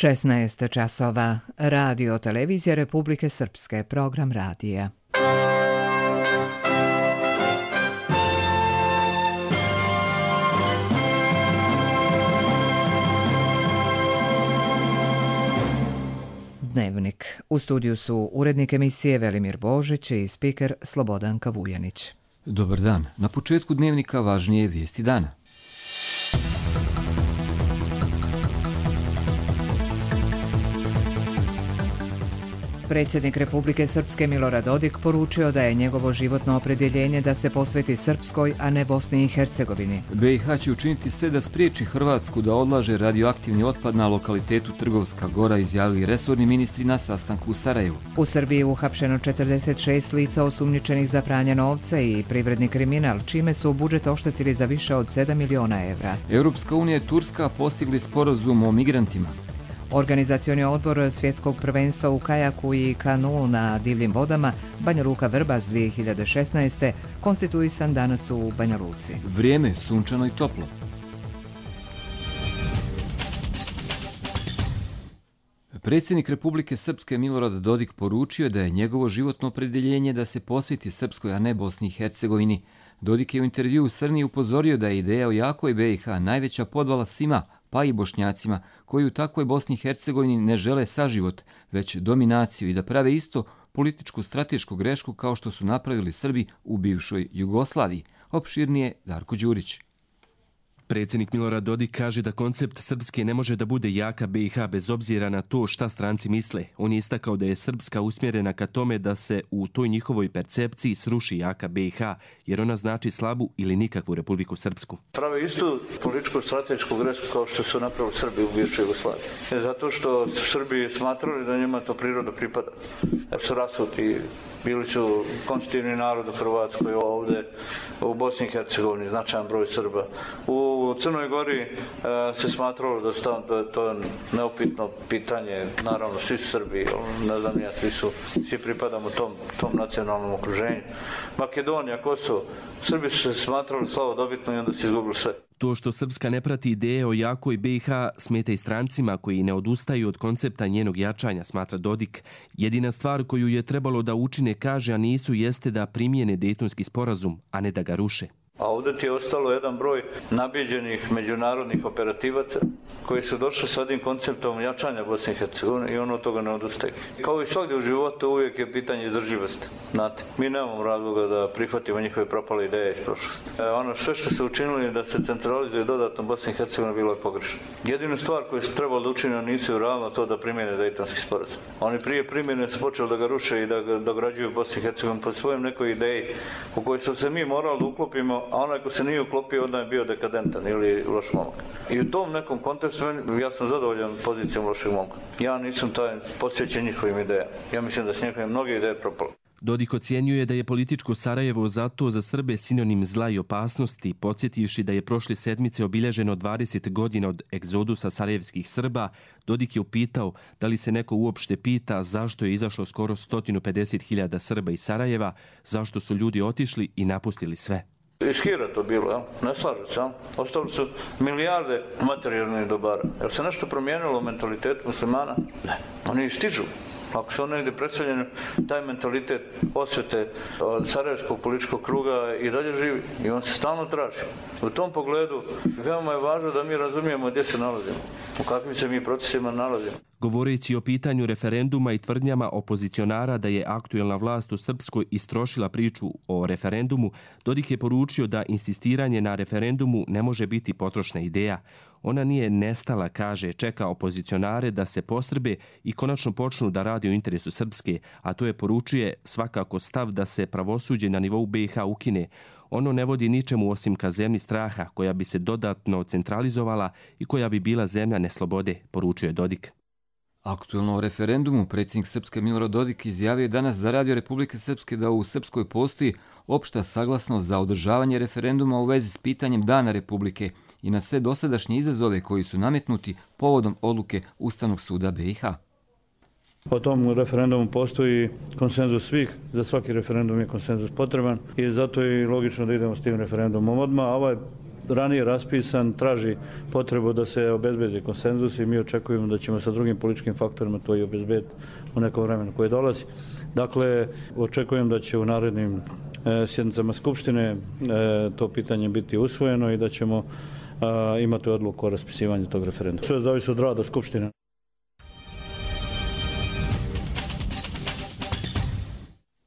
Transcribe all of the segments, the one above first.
16 časova. Radio Televizija Republike Srpske. Program radija. Dnevnik. U studiju su urednik emisije Velimir Božić i spiker Slobodanka Vujanić. Dobar dan. Na početku dnevnika važnije vijesti dana. Predsjednik Republike Srpske Milorad Dodik poručio da je njegovo životno opredjeljenje da se posveti Srpskoj, a ne Bosni i Hercegovini. BiH će učiniti sve da spriječi Hrvatsku da odlaže radioaktivni otpad na lokalitetu Trgovska Gora, izjavili resorni ministri na sastanku u Sarajevu. U Srbiji je uhapšeno 46 lica osumnjičenih za pranje novca i privredni kriminal, čime su budžet oštetili za više od 7 miliona evra. Europska unija i Turska postigli sporazum o migrantima. Organizacioni odbor svjetskog prvenstva u kajaku i kanu na divljim vodama Banja Luka Vrbas 2016. konstituisan danas u Banja Luci. Vrijeme sunčano i toplo. Predsjednik Republike Srpske Milorad Dodik poručio da je njegovo životno opredjeljenje da se posveti Srpskoj, a ne Bosni i Hercegovini. Dodik je u intervjuu u Srni upozorio da je ideja o jakoj BiH najveća podvala svima, pa i Bošnjacima, koji u takvoj Bosni i Hercegovini ne žele saživot, već dominaciju i da prave isto političku stratešku grešku kao što su napravili Srbi u bivšoj Jugoslaviji. Opširnije Darko Đurić. Predsjednik Milorad Dodik kaže da koncept Srpske ne može da bude jaka BiH bez obzira na to šta stranci misle. On je istakao da je Srpska usmjerena ka tome da se u toj njihovoj percepciji sruši jaka BiH, jer ona znači slabu ili nikakvu Republiku Srpsku. Prave istu političku stratešku grešku kao što su napravili Srbi u bivšoj Jugoslaviji. Zato što su Srbi smatrali da njima to priroda pripada. Su rasuti. Bili su konstitutivni narod u Hrvatskoj, ovdje u Bosni i Hercegovini, značajan broj Srba. U Crnoj Gori se smatralo da je to neupitno pitanje, naravno svi su Srbi, ne znam ja, svi pripadamo tom nacionalnom okruženju. Makedonija, Kosovo, Srbi su se smatrali slavodobitno i onda se izgubili sve. To što Srpska ne prati ideje o jakoj BiH smeta i strancima koji ne odustaju od koncepta njenog jačanja, smatra Dodik. Jedina stvar koju je trebalo da učine, kaže, a nisu, jeste da primijene Dejtonski sporazum, a ne da ga ruše. A ovdje ti je ostalo jedan broj nabiđenih međunarodnih operativaca koji su došli s ovim konceptom jačanja Bosne i Hercegovine i ono od toga ne odustaje. Kao i svakdje u životu uvijek je pitanje izdrživosti. Znate, mi nemamo razloga da prihvatimo njihove propale ideje iz prošlosti. Ono sve što se učinili da se centralizuje dodatno Bosna i Hercegovina bilo je pogrešno. Jedinu stvar koju su trebali da učine nisu realno to da primjene Dejtonski sporazum. Oni prije primjene su počeli da ga ruše i da ga dograđuju Bosni i Hercegovini po svojom nekoj ideji u kojoj su se mi morali da uklopimo, a onaj ko se nije uklopio, onda je bio dekadentan ili loš momak. I u tom nekom kontekstu ja sam zadovoljan pozicijom lošeg momka. Ja nisam taj posvećen njihovim idejama. Ja mislim da su njihove mnoge ideje propale. Dodik ocjenjuje da je političko Sarajevo zato za Srbe sinonim zla i opasnosti, podsjetivši da je prošle sedmice obilježeno 20 godina od egzodusa sarajevskih Srba. Dodik je upitao da li se neko uopšte pita zašto je izašlo skoro 150.000 Srba iz Sarajeva, zašto su ljudi otišli i napustili sve. Iz hira to bilo, ne slažu se. Ostali su milijarde materijalnih dobara. Jel se nešto promijenilo u mentalitetu muslimana? Ne. Oni stižu. Ako su oni negdje predstavljeni, taj mentalitet osvete od sarajevskog političkog kruga i dalje živi. I on se stalno traži. U tom pogledu veoma je važno da mi razumijemo gdje se nalazimo. U kakvim se mi procesima nalazimo. Govoreći o pitanju referenduma i tvrdnjama opozicionara da je aktuelna vlast u Srpskoj istrošila priču o referendumu, Dodik je poručio da insistiranje na referendumu ne može biti potrošna ideja. Ona nije nestala, kaže, čeka opozicionare da se posrbe i konačno počnu da radi u interesu Srpske, a to je, poručuje, svakako stav da se pravosuđe na nivou BiH ukine. Ono ne vodi ničemu osim ka zemlji straha, koja bi se dodatno centralizovala i koja bi bila zemlja neslobode, poručuje Dodik. Aktuelno o referendumu predsjednik Srpske Milorad Dodik izjavio danas za Radio Republike Srpske da u Srpskoj postoji opšta saglasnost za održavanje referenduma u vezi s pitanjem Dana Republike i na sve dosadašnje izazove koji su nametnuti povodom odluke Ustavnog suda BiH. O tom referendumu postoji konsenzus svih, za svaki referendum je konsenzus potreban i zato je logično da idemo s tim referendumom odmah. Ovaj ranije raspisan, traži potrebu da se obezbedi konsenzus i mi očekujemo da ćemo sa drugim političkim faktorima to i obezbediti u nekom vremenu koje dolazi. Dakle, očekujem da će u narednim sjednicama Skupštine to pitanje biti usvojeno i da ćemo imati odluku o raspisivanju tog referenduma. Sve zavisi od rada Skupštine.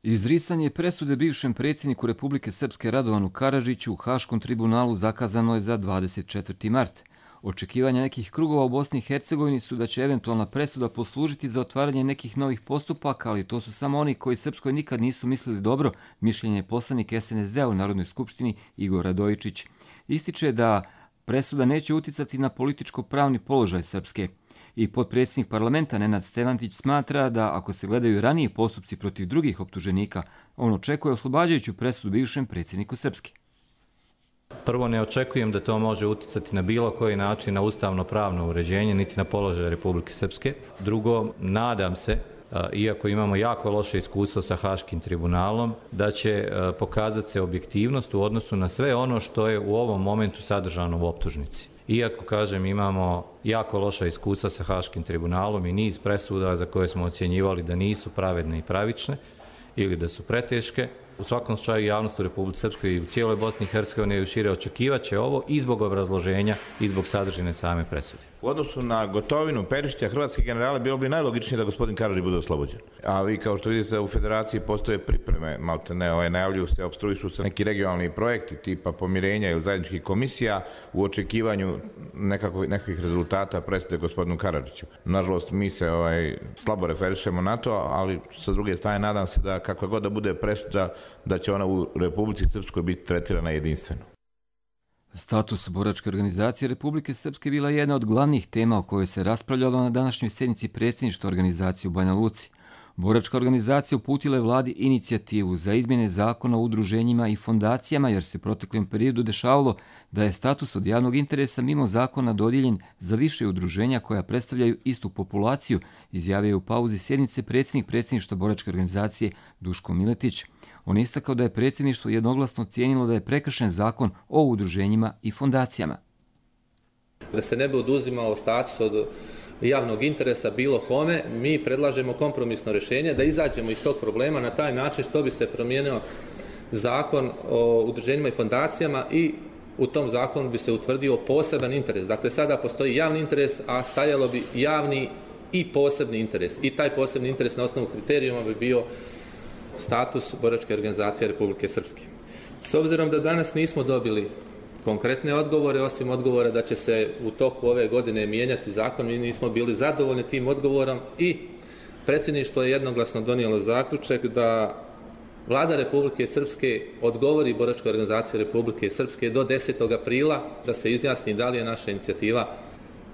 Izricanje presude bivšem predsjedniku Republike Srpske Radovanu Karadžiću u Haškom tribunalu zakazano je za 24. mart. Očekivanja nekih krugova u Bosni i Hercegovini su da će eventualna presuda poslužiti za otvaranje nekih novih postupaka, ali to su samo oni koji Srpskoj nikad nisu mislili dobro, mišljenje je poslanik SNSD-a u Narodnoj skupštini Igor Radojičić. Ističe da presuda neće uticati na političko-pravni položaj Srpske. I potpredsjednik parlamenta Nenad Stevantić smatra da ako se gledaju raniji postupci protiv drugih optuženika, on očekuje oslobađajuću presudu bivšem predsjedniku Srpske. Prvo, ne očekujem da to može uticati na bilo koji način na ustavno-pravno uređenje, niti na položaj Republike Srpske. Drugo, nadam se, iako imamo jako loše iskustvo sa Haškim tribunalom, da će pokazati se objektivnost u odnosu na sve ono što je u ovom momentu sadržano u optužnici. Iako, kažem, imamo jako loša iskustva sa Haškim tribunalom i niz presuda za koje smo ocjenjivali da nisu pravedne i pravične ili da su preteške, u svakom slučaju javnost u Republici Srpskoj i u cijeloj Bosni i Hercegovini i šire očekivaće ovo i zbog obrazloženja i zbog sadržine same presude. U odnosu na Gotovinu, Perišića, hrvatske generale, bilo bi najlogičnije da gospodin Karadžić bude oslobođen. A vi, kao što vidite, u federaciji postoje pripreme, maltene, najavljuju se, opstruišu se neki regionalni projekti tipa pomirenja ili zajedničkih komisija u očekivanju nekakvih rezultata presude gospodinu Karadžiću. Nažalost, mi se slabo referišemo na to, ali sa druge strane nadam se da kakva god da bude presuda, da će ona u Republici Srpskoj biti tretirana jedinstveno. Status boračke organizacije Republike Srpske bila je jedna od glavnih tema o kojoj se raspravljalo na današnjoj sjednici predsjedništva organizacije u Banja Luci. Boračka organizacija uputila je vladi inicijativu za izmjene zakona o udruženjima i fondacijama jer se proteklom periodu dešavalo da je status od javnog interesa mimo zakona dodijeljen za više udruženja koja predstavljaju istu populaciju, izjavio je u pauzi sjednice predsjednik predsjedništva boračke organizacije Duško Miletić. On je istakao da je predsjedništvo jednoglasno cijenilo da je prekršen zakon o udruženjima i fondacijama. Da se ne bi oduzimao status od javnog interesa bilo kome, mi predlažemo kompromisno rješenje da izađemo iz tog problema na taj način što bi se promijenio zakon o udruženjima i fondacijama i u tom zakonu bi se utvrdio poseban interes. Dakle, sada postoji javni interes, a stajalo bi javni i posebni interes. I taj posebni interes na osnovu kriterijuma bi bio status boračke organizacije Republike Srpske. S obzirom da danas nismo dobili konkretne odgovore, osim odgovora da će se u toku ove godine mijenjati zakon, mi nismo bili zadovoljni tim odgovorom i predsjedništvo je jednoglasno donijelo zaključak da Vlada Republike Srpske odgovori boračkoj organizaciji Republike Srpske do 10. aprila da se izjasni da li je naša inicijativa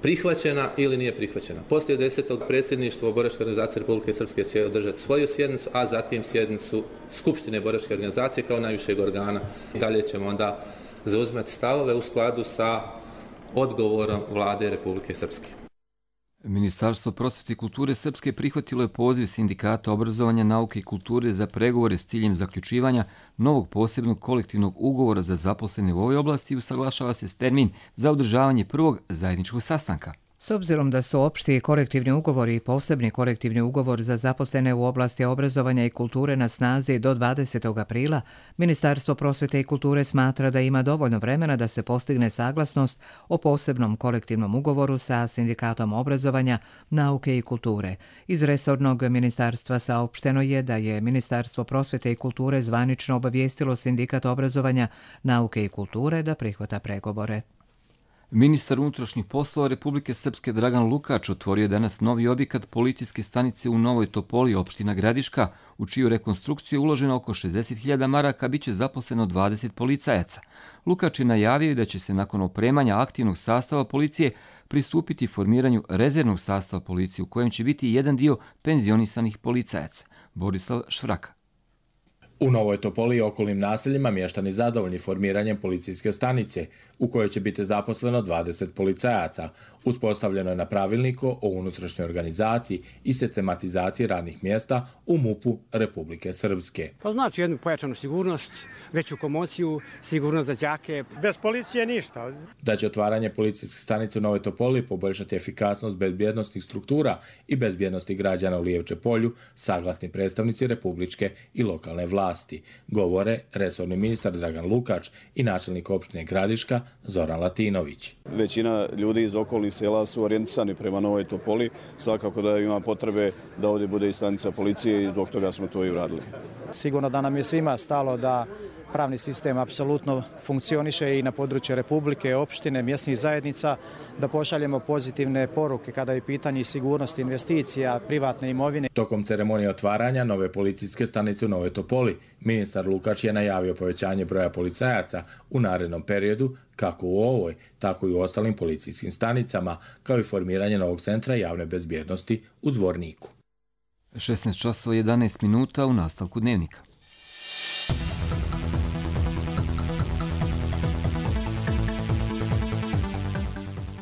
prihvaćena ili nije prihvaćena. Poslije 10. predsjedništvo boračke organizacije Republike Srpske će održati svoju sjednicu, a zatim sjednicu Skupštine boračke organizacije kao najvišeg organa. Dalje ćemo onda zauzimati stavove u skladu sa odgovorom Vlade Republike Srpske. Ministarstvo prosvjete i kulture Srpske prihvatilo je poziv Sindikata obrazovanja, nauke i kulture za pregovore s ciljem zaključivanja novog posebnog kolektivnog ugovora za zaposlene u ovoj oblasti i usaglašava se termin za održavanje prvog zajedničkog sastanka. S obzirom da su opšti kolektivni ugovori i posebni kolektivni ugovor za zaposlene u oblasti obrazovanja i kulture na snazi do 20. aprila, Ministarstvo prosvjete i kulture smatra da ima dovoljno vremena da se postigne saglasnost o posebnom kolektivnom ugovoru sa Sindikatom obrazovanja, nauke i kulture. Iz resornog ministarstva saopšteno je da je Ministarstvo prosvjete i kulture zvanično obavijestilo Sindikat obrazovanja, nauke i kulture da prihvata pregovore. Ministar unutrašnjih poslova Republike Srpske Dragan Lukač otvorio je danas novi objekat policijske stanice u Novoj Topoli, opština Gradiška, u čiju rekonstrukciju je uloženo oko 60.000 maraka, bit će zaposleno 20 policajaca. Lukač je najavio da će se nakon opremanja aktivnog sastava policije pristupiti formiranju rezervnog sastava policije u kojem će biti jedan dio penzionisanih policajaca. Borislav Švraka. U Novoj Topoli i okolnim naseljima mještani zadovoljni formiranjem policijske stanice, u kojoj će biti zaposleno 20 policajaca. Uspostavljeno je na pravilniku o unutrašnjoj organizaciji i sistematizaciji radnih mjesta u MUP-u Republike Srpske. Pa znači jednu pojačanu sigurnost, veću komociju, sigurnost za đake. Bez policije ništa. Da će otvaranje policijske stanice u Novoj Topoli poboljšati efikasnost bezbjednosnih struktura i bezbjednosti građana u Lijevče polju, saglasni predstavnici republičke i lokalne vlasti, govore resorni ministar Dragan Lukač i načelnik opštine Gradiška Zoran Latinović. Većina ljudi iz okolnih sela su orijentisani prema Novoj Topoli. Svakako da ima potrebe da ovdje bude i stanica policije i zbog toga smo to i uradili. Sigurno da nam je svima stalo da pravni sistem apsolutno funkcioniše i na području Republike, opštine, mjesnih zajednica, da pošaljemo pozitivne poruke kada je pitanje sigurnosti investicija, privatne imovine. Tokom ceremonije otvaranja nove policijske stanice u Novoj Topoli, ministar Lukač je najavio povećanje broja policajaca u narednom periodu, kako u ovoj, tako i u ostalim policijskim stanicama, kao i formiranje novog centra javne bezbjednosti u Zvorniku. 16:11 u nastavku dnevnika.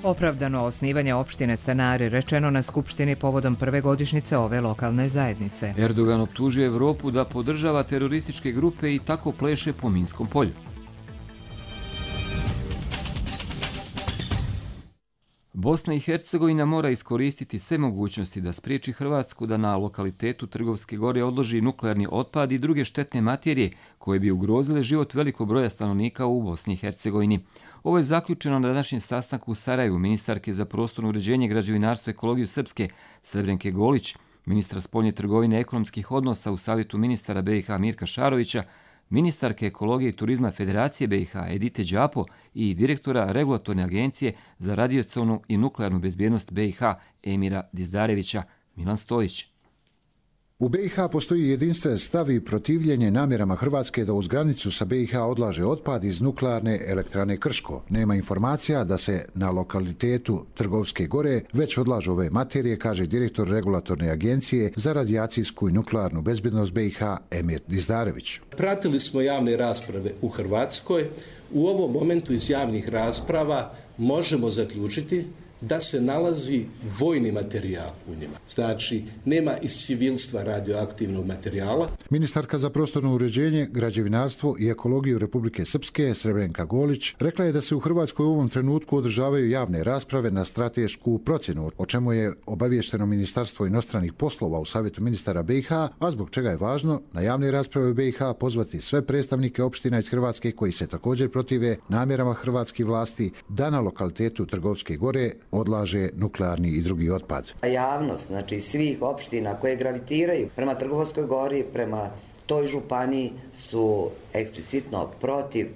Opravdano osnivanje opštine Stanari rečeno na Skupštini povodom prve godišnjice ove lokalne zajednice. Erdogan optužio Evropu da podržava terorističke grupe i tako pleše po Minskom polju. Bosna i Hercegovina mora iskoristiti sve mogućnosti da spriječi Hrvatsku da na lokalitetu Trgovske gore odloži nuklearni otpad i druge štetne materije koje bi ugrozile život velikog broja stanovnika u Bosni i Hercegovini. Ovo je zaključeno na današnjem sastanku u Sarajevu ministarke za prostorno uređenje, građevinarstvo i ekologiju Srpske Srebrenke Golić, ministra spoljne trgovine i ekonomskih odnosa u Savjetu ministara BiH Mirka Šarovića, ministarke ekologije i turizma Federacije BiH Edite Đapo i direktora Regulatorne agencije za radijacionu i nuklearnu bezbjednost BiH Emira Dizdarevića Milan Stojić. U BiH postoji jedinstven stav i protivljenje namjerama Hrvatske da uz granicu sa BiH odlaže otpad iz nuklearne elektrane Krško. Nema informacija da se na lokalitetu Trgovske gore već odlažu ove materije, kaže direktor Regulatorne agencije za radijacijsku i nuklearnu bezbjednost BiH Emir Dizdarević. Pratili smo javne rasprave u Hrvatskoj. U ovom momentu iz javnih rasprava možemo zaključiti da se nalazi vojni materijal u njima. Znači, nema iz civilstva radioaktivnog materijala. Ministarka za prostorno uređenje, građevinarstvo i ekologiju Republike Srpske Srebrenka Golić rekla je da se u Hrvatskoj u ovom trenutku održavaju javne rasprave na stratešku procjenu, o čemu je obavješteno Ministarstvo inostranih poslova u Savjetu ministara BiH, a zbog čega je važno na javne rasprave u BiH pozvati sve predstavnike opština iz Hrvatske koji se također protive namjerama hrvatskih vlasti da na lokalitetu Trgovske gore odlaže nuklearni i drugi otpad. Javnost, znači svih opština koje gravitiraju prema Trgovskoj gori, prema toj županiji su eksplicitno protiv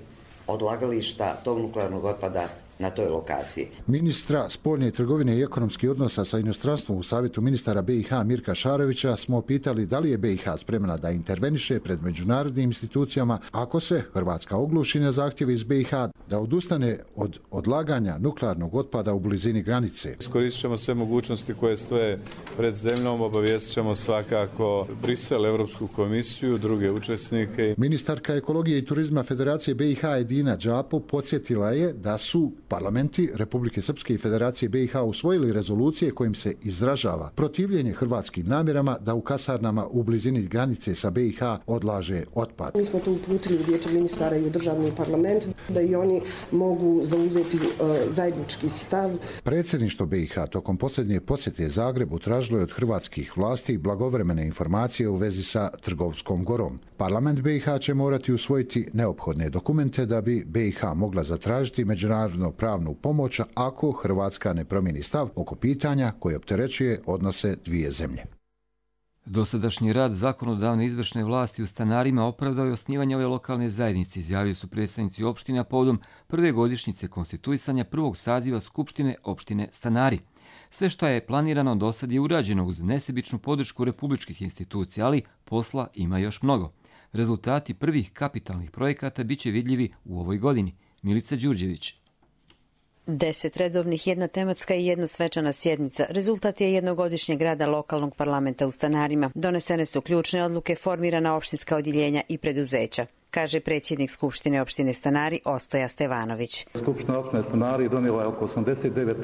odlagališta tog nuklearnog otpada na toj lokaciji. Ministra spoljne trgovine i ekonomskih odnosa sa inostranstvom u Savjetu ministara BiH Mirka Šarovića smo pitali da li je BiH spremna da interveniše pred međunarodnim institucijama ako se Hrvatska ogluši na zahtjeve iz BiH da odustane od odlaganja nuklearnog otpada u blizini granice. Iskoristit ćemo sve mogućnosti koje stoje pred zemljom, obavijestit ćemo svakako Brisel, Europsku komisiju, druge učesnike. Ministarka ekologije i turizma Federacije BiH Edina Đapo podsjetila je da su parlamenti Republike Srpske i Federacije BiH usvojili rezolucije kojim se izražava protivljenje hrvatskim namjerama da u kasarnama u blizini granice sa BiH odlaže otpad. Mi smo to uputili u Vijeće ministara i u državni parlament da i oni mogu zauzeti zajednički stav. Predsjedništvo BiH tokom posljednje posjete Zagrebu tražilo je od hrvatskih vlasti blagovremene informacije u vezi sa Trgovskom gorom. Parlament BiH će morati usvojiti neophodne dokumente da bi BiH mogla zatražiti međunarodno pravnu pomoć ako Hrvatska ne promijeni stav oko pitanja koje opterećuje odnose dvije zemlje. Dosadašnji rad zakonodavne izvršne vlasti u Stanarima opravdao je osnivanje ove lokalne zajednice, izjavili su predstavnici opština povodom prve godišnjice konstituisanja prvog saziva Skupštine opštine Stanari. Sve što je planirano do sad je urađeno uz nesebičnu podršku republičkih institucija, ali posla ima još mnogo. Rezultati prvih kapitalnih projekata biće vidljivi u ovoj godini. Milica Đurđević. 10 redovnih, 1 tematska i 1 svečana sjednica. Rezultat je jednogodišnjeg rada lokalnog parlamenta u Stanarima. Donesene su ključne odluke, formirana opštinska odjeljenja i preduzeća, kaže predsjednik Skupštine opštine Stanari Ostoja Stevanović. Skupština opštine Stanari donijela je oko 89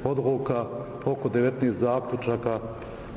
odluka, oko 19 zaključaka,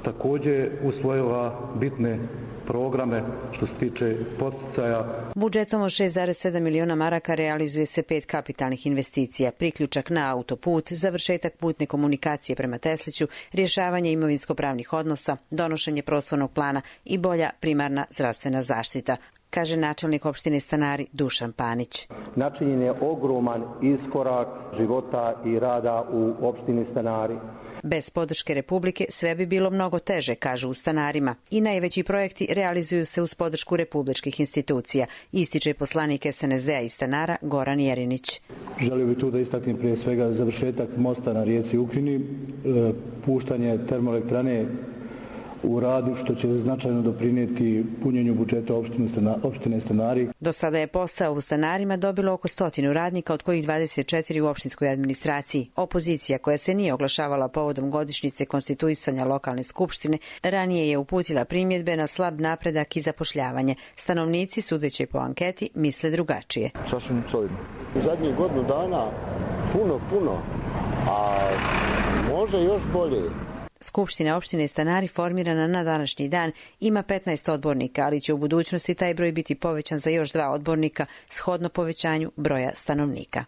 također usvojila bitne programe što se tiče poticaja. Budžetom od 6,7 miliona maraka realizuje se 5 kapitalnih investicija, priključak na autoput, završetak putne komunikacije prema Tesliću, rješavanje imovinsko-pravnih odnosa, donošenje prostornog plana i bolja primarna zdravstvena zaštita, kaže načelnik opštine Stanari Dušan Panić. Načinjen je ogroman iskorak života i rada u opštini Stanari. Bez podrške Republike sve bi bilo mnogo teže, kažu u Stanarima, i najveći projekti realizuju se uz podršku republičkih institucija, ističe poslanik SNSD-a iz Stanara Goran Jerinić. Želio bih tu da istaknem prije svega završetak mosta na rijeci Ukrini, puštanje termoelektrane u radu što će značajno doprinijeti punjenju budžeta opštine Stanari. Do sada je posao u Stanarima dobilo oko 100 radnika, od kojih 24 u opštinskoj administraciji. Opozicija, koja se nije oglašavala povodom godišnjice konstituisanja lokalne skupštine, ranije je uputila primjedbe na slab napredak i zapošljavanje. Stanovnici, sudeći po anketi, misle drugačije. Sasvim solidno. U zadnjih godinu dana puno, a može još bolje. Skupština opštine Stanari, formirana na današnji dan, ima 15 odbornika, ali će u budućnosti taj broj biti povećan za još 2 odbornika shodno povećanju broja stanovnika.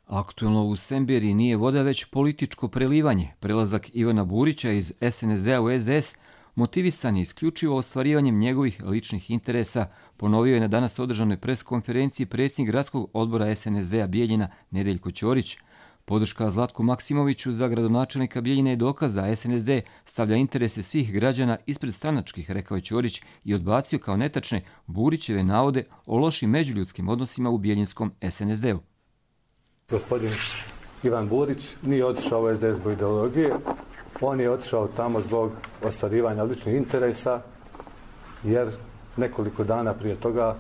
Aktuelno u Semberiji nije voda već političko prelivanje. Prelazak Ivana Burića iz SNSD-a u SDS motivisan je isključivo ostvarivanjem njegovih ličnih interesa, ponovio je na danas održanoj preskonferenciji predsjednik gradskog odbora SNSD-a Bijeljina Nedeljko Ćorić. Podrška Zlatku Maksimoviću za gradonačelnika Bijeljine je dokaz da SNSD stavlja interese svih građana ispred stranačkih, rekao je Ćorić i odbacio kao netačne Burićeve navode o lošim međuljudskim odnosima u bijeljinskom SNSD-u. Gospodin Ivan Burić nije otišao u SDS zbog ideologije, on je otišao tamo zbog ostvarivanja ličnih interesa, jer nekoliko dana prije toga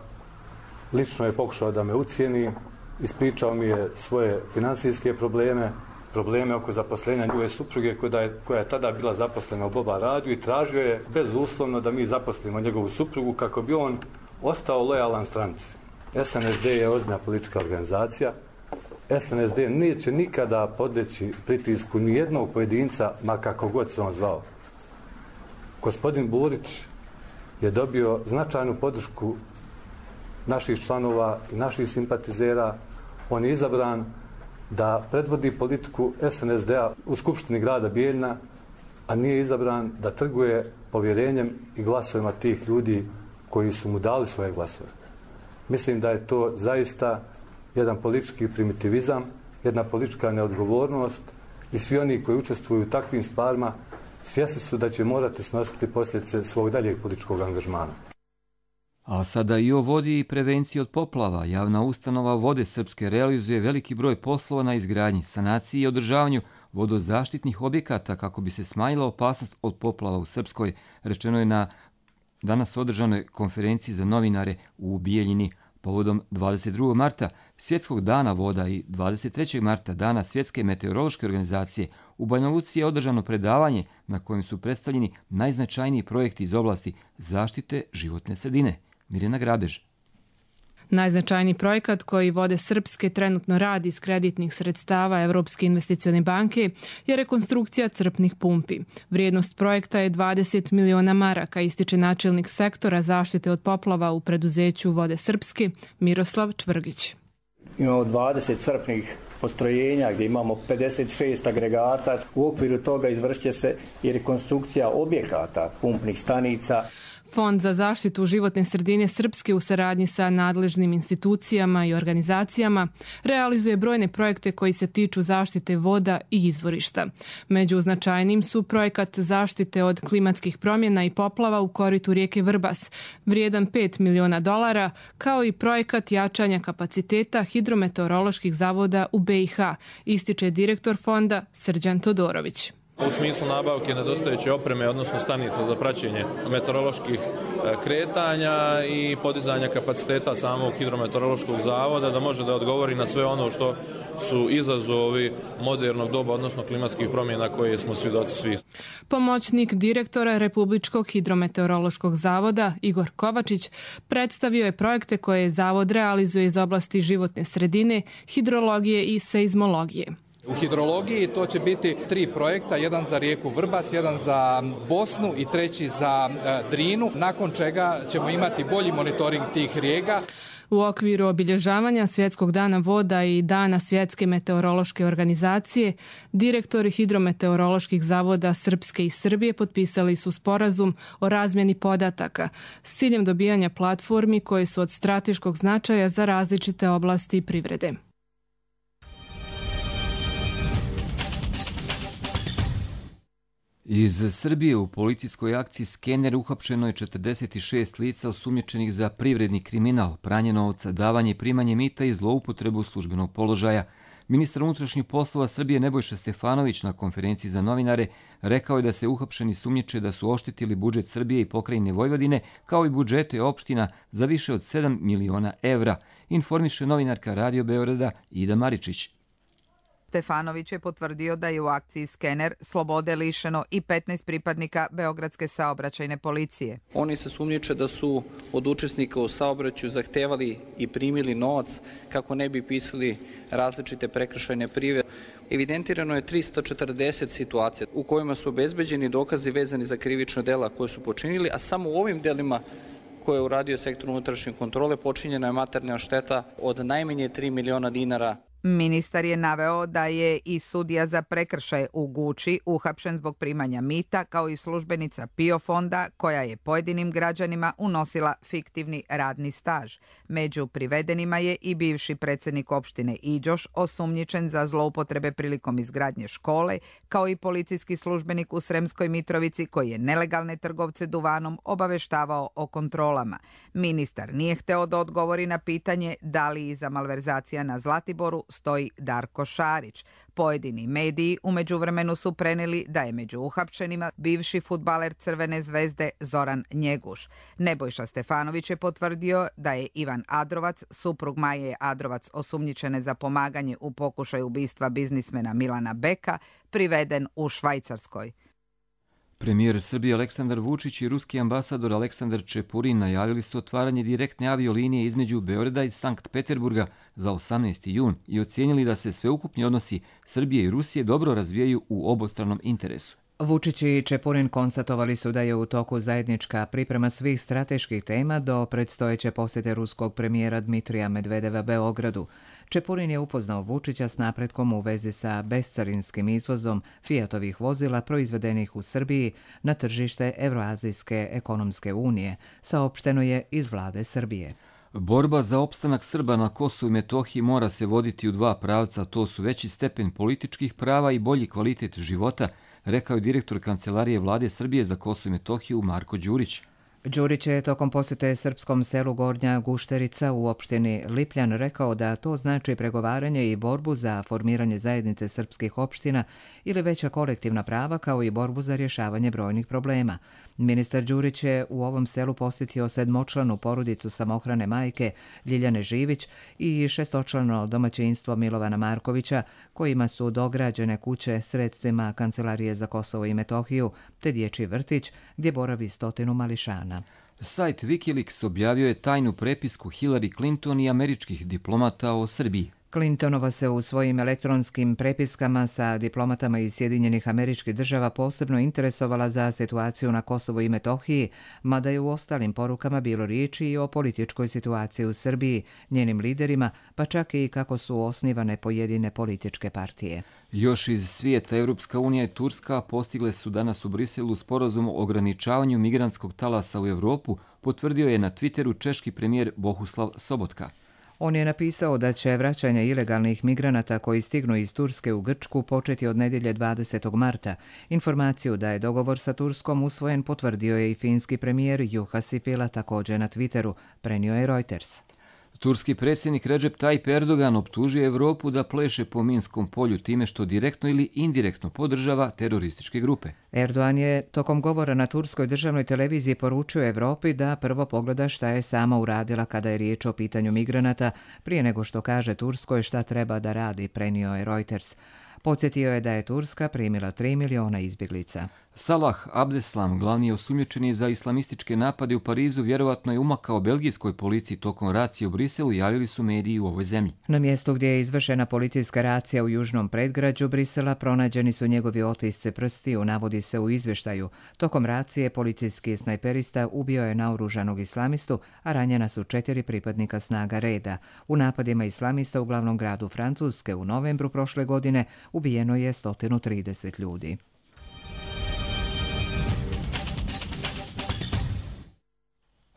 lično je pokušao da me ucijeni. Ispričao mi je svoje financijske probleme oko zaposlenja njegove supruge koja je tada bila zaposlena u Boba radiju i tražio je bezuslovno da mi zaposlimo njegovu suprugu kako bi on ostao lojalan stranci. SNSD je ozbiljna politička organizacija. SNSD neće nikada podleći pritisku nijednog pojedinca, ma kako god se on zvao. Gospodin Burić je dobio značajnu podršku naših članova i naših simpatizera. On je izabran da predvodi politiku SNSD-a u Skupštini grada Bijeljina, a nije izabran da trguje povjerenjem i glasovima tih ljudi koji su mu dali svoje glasove. Mislim da je to zaista jedan politički primitivizam, jedna politička neodgovornost i svi oni koji učestvuju u takvim stvarima svjesni su da će morati snositi posljedice svog daljeg političkog angažmana. A sada i o vodi i prevenciji od poplava. Javna ustanova Vode Srpske realizuje veliki broj poslova na izgradnji, sanaciji i održavanju vodozaštitnih objekata kako bi se smanjila opasnost od poplava u Srpskoj, rečeno je na danas održanoj konferenciji za novinare u Bijeljini. Povodom 22. marta, Svjetskog dana voda i 23. marta, dana Svjetske meteorološke organizacije, u Banja Luci je održano predavanje na kojem su predstavljeni najznačajniji projekti iz oblasti zaštite životne sredine. Mirjana Grabež. Najznačajniji projekat koji Vode Srpske trenutno radi iz kreditnih sredstava Evropske investicione banke je rekonstrukcija crpnih pumpi. Vrijednost projekta je 20 miliona maraka, ističe načelnik sektora zaštite od poplava u preduzeću Vode Srpske Miroslav Čvrgić. Imamo 20 crpnih postrojenja gdje imamo 56 agregata. U okviru toga izvršit će se i rekonstrukcija objekata pumpnih stanica. Fond za zaštitu životne sredine Srpske u saradnji sa nadležnim institucijama i organizacijama realizuje brojne projekte koji se tiču zaštite voda i izvorišta. Među značajnim su projekat zaštite od klimatskih promjena i poplava u koritu rijeke Vrbas, vrijedan $5 miliona, kao i projekat jačanja kapaciteta hidrometeoroloških zavoda u BiH, ističe direktor fonda Srđan Todorović. U smislu nabavke nedostajeće opreme, odnosno stanica za praćenje meteoroloških kretanja i podizanja kapaciteta samog hidrometeorološkog zavoda da može da odgovori na sve ono što su izazovi modernog doba, odnosno klimatskih promjena koje smo svjedoci svi. Pomoćnik direktora Republičkog hidrometeorološkog zavoda Igor Kovačić predstavio je projekte koje zavod realizuje iz oblasti životne sredine, hidrologije i seizmologije. U hidrologiji to će biti 3 projekta, jedan za rijeku Vrbas, jedan za Bosnu i 3 za Drinu, nakon čega ćemo imati bolji monitoring tih rijeka. U okviru obilježavanja Svjetskog dana voda i Dana Svjetske meteorološke organizacije, direktori hidrometeoroloških zavoda Srpske i Srbije potpisali su sporazum o razmjeni podataka s ciljem dobijanja platformi koje su od strateškog značaja za različite oblasti privrede. Iz Srbije u policijskoj akciji Skener uhapšeno je 46 lica osumnjičenih za privredni kriminal, pranje novca, davanje i primanje mita i zloupotrebu službenog položaja. Ministar unutrašnjih poslova Srbije Nebojša Stefanović na konferenciji za novinare rekao je da se uhapšeni sumnjiče da su oštetili budžet Srbije i pokrajine Vojvodine, kao i budžete opština za više od 7 miliona evra, informiše novinarka Radio Beograda Ida Maričić. Stefanović je potvrdio da je u akciji Skener slobode lišeno i 15 pripadnika Beogradske saobraćajne policije. Oni se sumnjiče da su od učesnika u saobraćaju zahtevali i primili novac kako ne bi pisali različite prekršajne prijave. Evidentirano je 340 situacija u kojima su obezbeđeni dokazi vezani za krivična dela koje su počinili, a samo u ovim delima koje je uradio sektor unutrašnje kontrole počinjena je materijalna šteta od najmanje 3 miliona dinara. Ministar je naveo da je i sudija za prekršaje u Guči uhapšen zbog primanja mita, kao i službenica PIO fonda koja je pojedinim građanima unosila fiktivni radni staž. Među privedenima je i bivši predsjednik opštine Iđoš, osumnjičen za zloupotrebe prilikom izgradnje škole, kao i policijski službenik u Sremskoj Mitrovici koji je nelegalne trgovce duvanom obaveštavao o kontrolama. Ministar nije hteo da odgovori na pitanje da li iza malverzacija na Zlatiboru stoji Darko Šarić. Pojedini mediji u međuvremenu su preneli da je među uhapšenima bivši fudbaler Crvene zvezde Zoran Njeguš. Nebojša Stefanović je potvrdio da je Ivan Adrovac, suprug Maje Adrovac osumnjičene za pomaganje u pokušaju ubistva biznismena Milana Beka, priveden u Švajcarskoj. Premijer Srbije Aleksandar Vučić i ruski ambasador Aleksandar Čepurin najavili su otvaranje direktne aviolinije između Beograda i Sankt Peterburga za 18. jun i ocijenili da se sveukupni odnosi Srbije i Rusije dobro razvijaju u obostranom interesu. Vučić i Čepurin konstatovali su da je u toku zajednička priprema svih strateških tema do predstojeće posjete ruskog premijera Dmitrija Medvedeva Beogradu. Čepurin je upoznao Vučića s napretkom u vezi sa bescarinskim izvozom Fiatovih vozila proizvedenih u Srbiji na tržište Evroazijske ekonomske unije, saopšteno je iz vlade Srbije. Borba za opstanak Srba na Kosovu i Metohiji mora se voditi u dva pravca, to su veći stepen političkih prava i bolji kvalitet života, rekao je direktor Kancelarije vlade Srbije za Kosovo i Metohiju Marko Đurić. Đurić je tokom posjete srpskom selu Gornja Gušterica u opštini Lipljan rekao da to znači pregovaranje i borbu za formiranje zajednice srpskih opština ili veća kolektivna prava, kao i borbu za rješavanje brojnih problema. Ministar Đurić je u ovom selu posjetio 7-članu porodicu samohrane majke Ljiljane Živić i 6-člano domaćinstvo Milovana Markovića, kojima su dograđene kuće sredstvima Kancelarije za Kosovo i Metohiju, te dječji vrtić gdje boravi 100 mališana. Sajt Wikileaks objavio je tajnu prepisku Hillary Clinton i američkih diplomata o Srbiji. Clintonova se u svojim elektronskim prepiskama sa diplomatama iz Sjedinjenih Američkih Država posebno interesovala za situaciju na Kosovu i Metohiji, mada je u ostalim porukama bilo riječi i o političkoj situaciji u Srbiji, njenim liderima, pa čak i kako su osnivane pojedine političke partije. Još iz svijeta, Europska unija i Turska postigle su danas u Briselu sporazum o ograničavanju migrantskog talasa u Evropu, potvrdio je na Twitteru češki premijer Bohuslav Sobotka. On je napisao da će vraćanje ilegalnih migranata koji stignu iz Turske u Grčku početi od nedjelje 20. marta. Informaciju da je dogovor sa Turskom usvojen potvrdio je i finski premijer Juha Sipila također na Twitteru, prenio je Reuters. Turski predsjednik Recep Tayyip Erdogan optužio Evropu da pleše po Minskom polju time što direktno ili indirektno podržava terorističke grupe. Erdogan je tokom govora na turskoj državnoj televiziji poručio Evropi da prvo pogleda šta je sama uradila kada je riječ o pitanju migranata, prije nego što kaže Turskoj šta treba da radi, prenio je Reuters. Podsjetio je da je Turska primila 3 miliona izbjeglica. Salah Abdeslam, glavni osumnjičeni za islamističke napade u Parizu, vjerovatno je umakao belgijskoj policiji tokom racije u Briselu, javili su mediji u ovoj zemlji. Na mjestu gdje je izvršena policijska racija u južnom predgrađu Brisela pronađeni su njegovi otisci prstiju, navodi se u izvještaju. Tokom racije policijski snajperista ubio je naoružanog islamistu, a ranjena su 4 pripadnika snaga reda. U napadima islamista u glavnom gradu Francuske u novembru prošle godine ubijeno je 130 ljudi.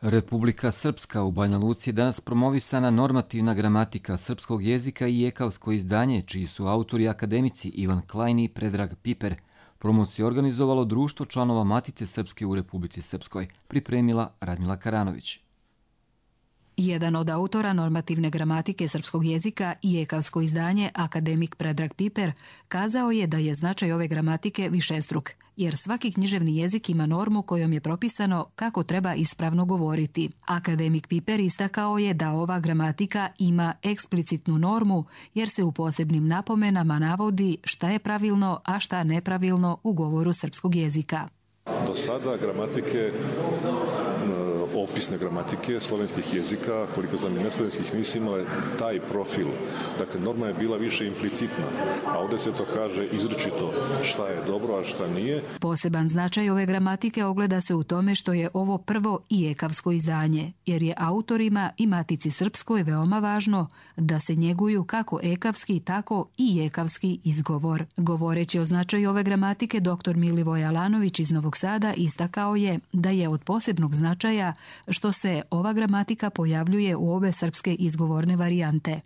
Republika Srpska u Banja Luci je danas promovisana normativna gramatika srpskog jezika i ekavsko izdanje, čiji su autori akademici Ivan Klajn i Predrag Piper. Promociju je organizovalo Društvo članova Matice Srpske u Republici Srpskoj, pripremila Radmila Karanović. Jedan od autora normativne gramatike srpskog jezika i ekavsko izdanje, akademik Predrag Piper, kazao je da je značaj ove gramatike višestruk, jer svaki književni jezik ima normu kojom je propisano kako treba ispravno govoriti. Akademik Piper istakao je da ova gramatika ima eksplicitnu normu, jer se u posebnim napomenama navodi šta je pravilno, a šta nepravilno u govoru srpskog jezika. Do sada gramatike, opisne gramatike slovenskih jezika, koliko znam i neslovenskih, nisu imale taj profil. Dakle, norma je bila više implicitna, a ovdje se to kaže izričito šta je dobro, a šta nije. Poseban značaj ove gramatike ogleda se u tome što je ovo prvo i ekavsko izdanje, jer je autorima i Matici Srpskoj veoma važno da se njeguju kako ekavski, tako i ekavski izgovor. Govoreći o značaju ove gramatike, dr. Milivoj Alanović iz Novog Sada istakao je da je od posebnog značaja što se ova gramatika pojavljuje u obe srpske izgovorne varijante.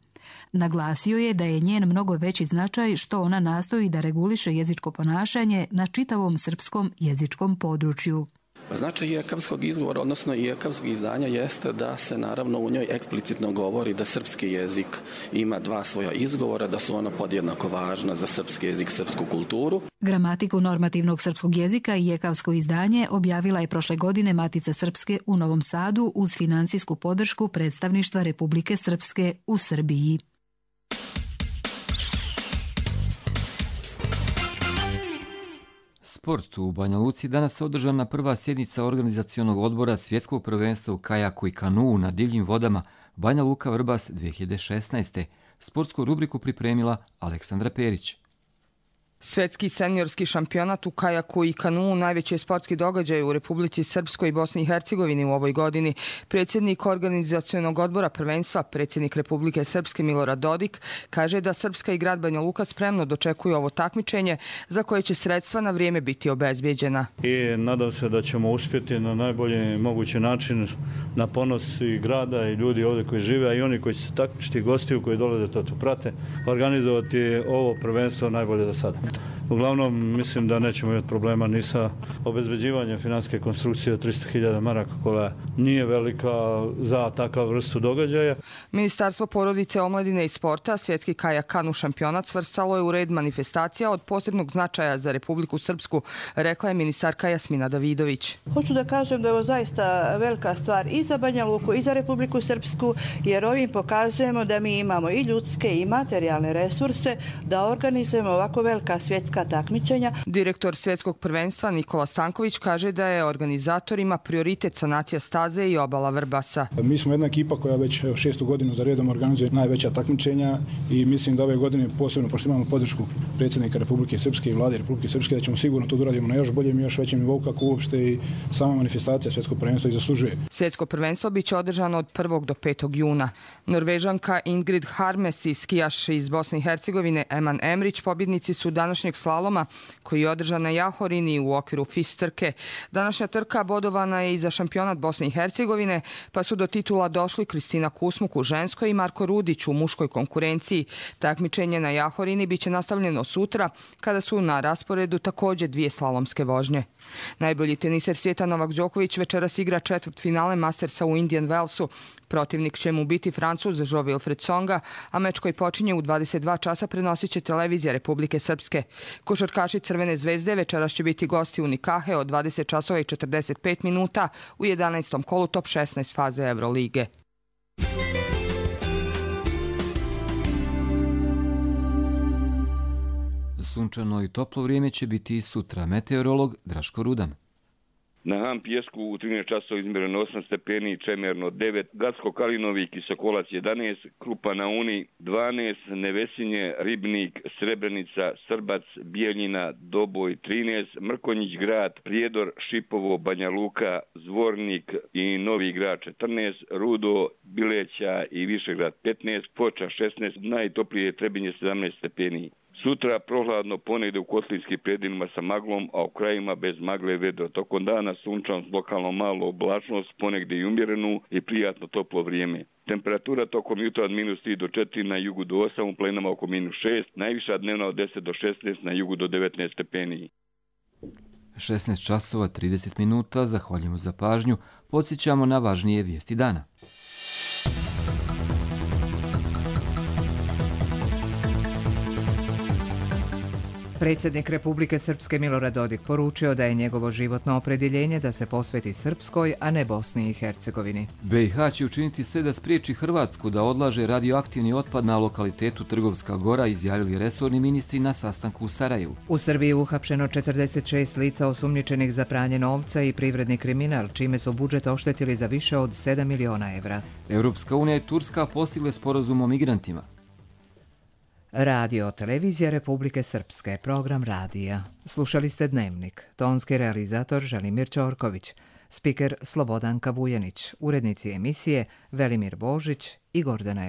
Naglasio je da je njen mnogo veći značaj što ona nastoji da reguliše jezičko ponašanje na čitavom srpskom jezičkom području. Značaj ekavskog izgovora, odnosno i ekavskog izdanja, jeste da se naravno u njoj eksplicitno govori da srpski jezik ima 2 svoja izgovora, da su ona podjednako važna za srpski jezik, srpsku kulturu. Gramatiku normativnog srpskog jezika i ekavsko izdanje objavila je prošle godine Matica Srpske u Novom Sadu uz finansijsku podršku predstavništva Republike Srpske u Srbiji. Sport u Banja Luci danas je održana prva sjednica organizacionog odbora svjetskog prvenstva u kajaku i kanuu na divljim vodama Banja Luka Vrbas 2016. Sportsku rubriku pripremila Aleksandra Perić. Svjetski seniorski šampionat u kajaku i kanuu najveći je sportski događaj u Republici Srpskoj i Bosni i Hercegovini u ovoj godini. Predsjednik organizacionog odbora prvenstva, predsjednik Republike Srpske Milorad Dodik, kaže da Srpska i grad Banja Luka spremno dočekuju ovo takmičenje za koje će sredstva na vrijeme biti obezbijeđena. I nadam se da ćemo uspjeti na najbolji mogući način na ponos i grada i ljudi ovdje koji žive, a i oni koji će se takmičiti, gostiju koji dolaze to prate, organizovati ovo prvenstvo najbolje za sada. Uglavnom, mislim da nećemo imati problema ni sa obezbeđivanjem financijske konstrukcije od 300.000 maraka koja nije velika za takav vrstu događaja. Ministarstvo porodice, omladine i sporta svjetski kajak kanu šampionat svrstalo je u red manifestacija od posebnog značaja za Republiku Srpsku, rekla je ministarka Jasmina Davidović. Hoću da kažem da je ovo zaista velika stvar i za Banja Luku i za Republiku Srpsku, jer ovim pokazujemo da mi imamo i ljudske i materijalne resurse da organizujemo ovako velika svjetska takmičenja. Direktor svjetskog prvenstva Nikola Stanković kaže da je organizatorima prioritet sanacija staze i obala Vrbasa. Mi smo jedna ekipa koja već 6. godinu za redom organizuje najveća takmičenja i mislim da ove godine posebno, pošto imamo podršku predsjednika Republike Srpske i vlade Republike Srpske, da ćemo sigurno to uradimo na još boljem i još većem nivou kako uopšte i sama manifestacija svjetskog prvenstva i zaslužuje. Svjetsko prvenstvo biće održano od 1. do 5. juna. Norvežanka Ingrid Harmes i skijaš iz Bosne i Hercegovine Eman Emrić pobjednici su današnjeg slaloma koji je održan na Jahorini u okviru FIS trke. Današnja trka bodovana je i za šampionat Bosne i Hercegovine, pa su do titula došli Kristina Kusmuk u ženskoj i Marko Rudić u muškoj konkurenciji. Takmičenje na Jahorini biće nastavljeno sutra, kada su na rasporedu također 2 slalomske vožnje. Najbolji teniser svijeta Novak Đoković večeras igra četvrtfinale Mastersa u Indian Wellsu. Protivnik će mu biti Francuz Jo-Wilfried Tsonga, a meč koji počinje u 22 časa prenosit će televizija Republike Srpske. Košarkaši Crvene zvezde večeras će biti gosti u Nikahe od 20 časova i 45 minuta u 11. kolu top 16 faze Evrolige. Sunčano i toplo vrijeme će biti i sutra. Meteorolog Draško Rudan. Na Han Pjesku u 13 časova izmjereno 8 stepeni, Čemerno 9, Gacko-Kalinovi, Kisokolac 11, Krupa na Uni 12, Nevesinje, Ribnik, Srebrenica, Srbac, Bijeljina, Doboj 13, Mrkonjić grad, Prijedor, Šipovo, Banja Luka, Zvornik i Novi grad 14, Rudo, Bileća i Višegrad 15, Foča 16, najtoplije Trebinje 17 stepeni. Sutra prohladno, ponegdje u kotlinskim predjelima sa maglom, a u krajima bez magle vedro. Tokom dana sunčan s lokalno malo oblačnost, ponegdje i umjerenu i prijatno toplo vrijeme. Temperatura tokom jutra od -3 do 4, na jugu do 8, u plenama oko -6, najviša dnevna od 10 do 16, na jugu do 19 stepeni. 16 časova 30 minuta, zahvaljujemo za pažnju, podsjećamo na važnije vijesti dana. Predsjednik Republike Srpske Milorad Dodik poručio da je njegovo životno opredjeljenje da se posveti Srpskoj, a ne Bosni i Hercegovini. BiH će učiniti sve da spriječi Hrvatsku da odlaže radioaktivni otpad na lokalitetu Trgovska Gora, izjavili resorni ministri na sastanku u Sarajevu. U Srbiji je uhapšeno 46 lica osumnjičenih za pranje novca i privredni kriminal, čime su budžet oštetili za više od 7 miliona evra. Europska unija i Turska postigle sporazum o migrantima. Radio Televizija Republike Srpske, program radija. Slušali ste Dnevnik. Tonski realizator Želimir Ćorković, spiker Slobodanka Vujanić, urednici emisije Velimir Božić i Gordana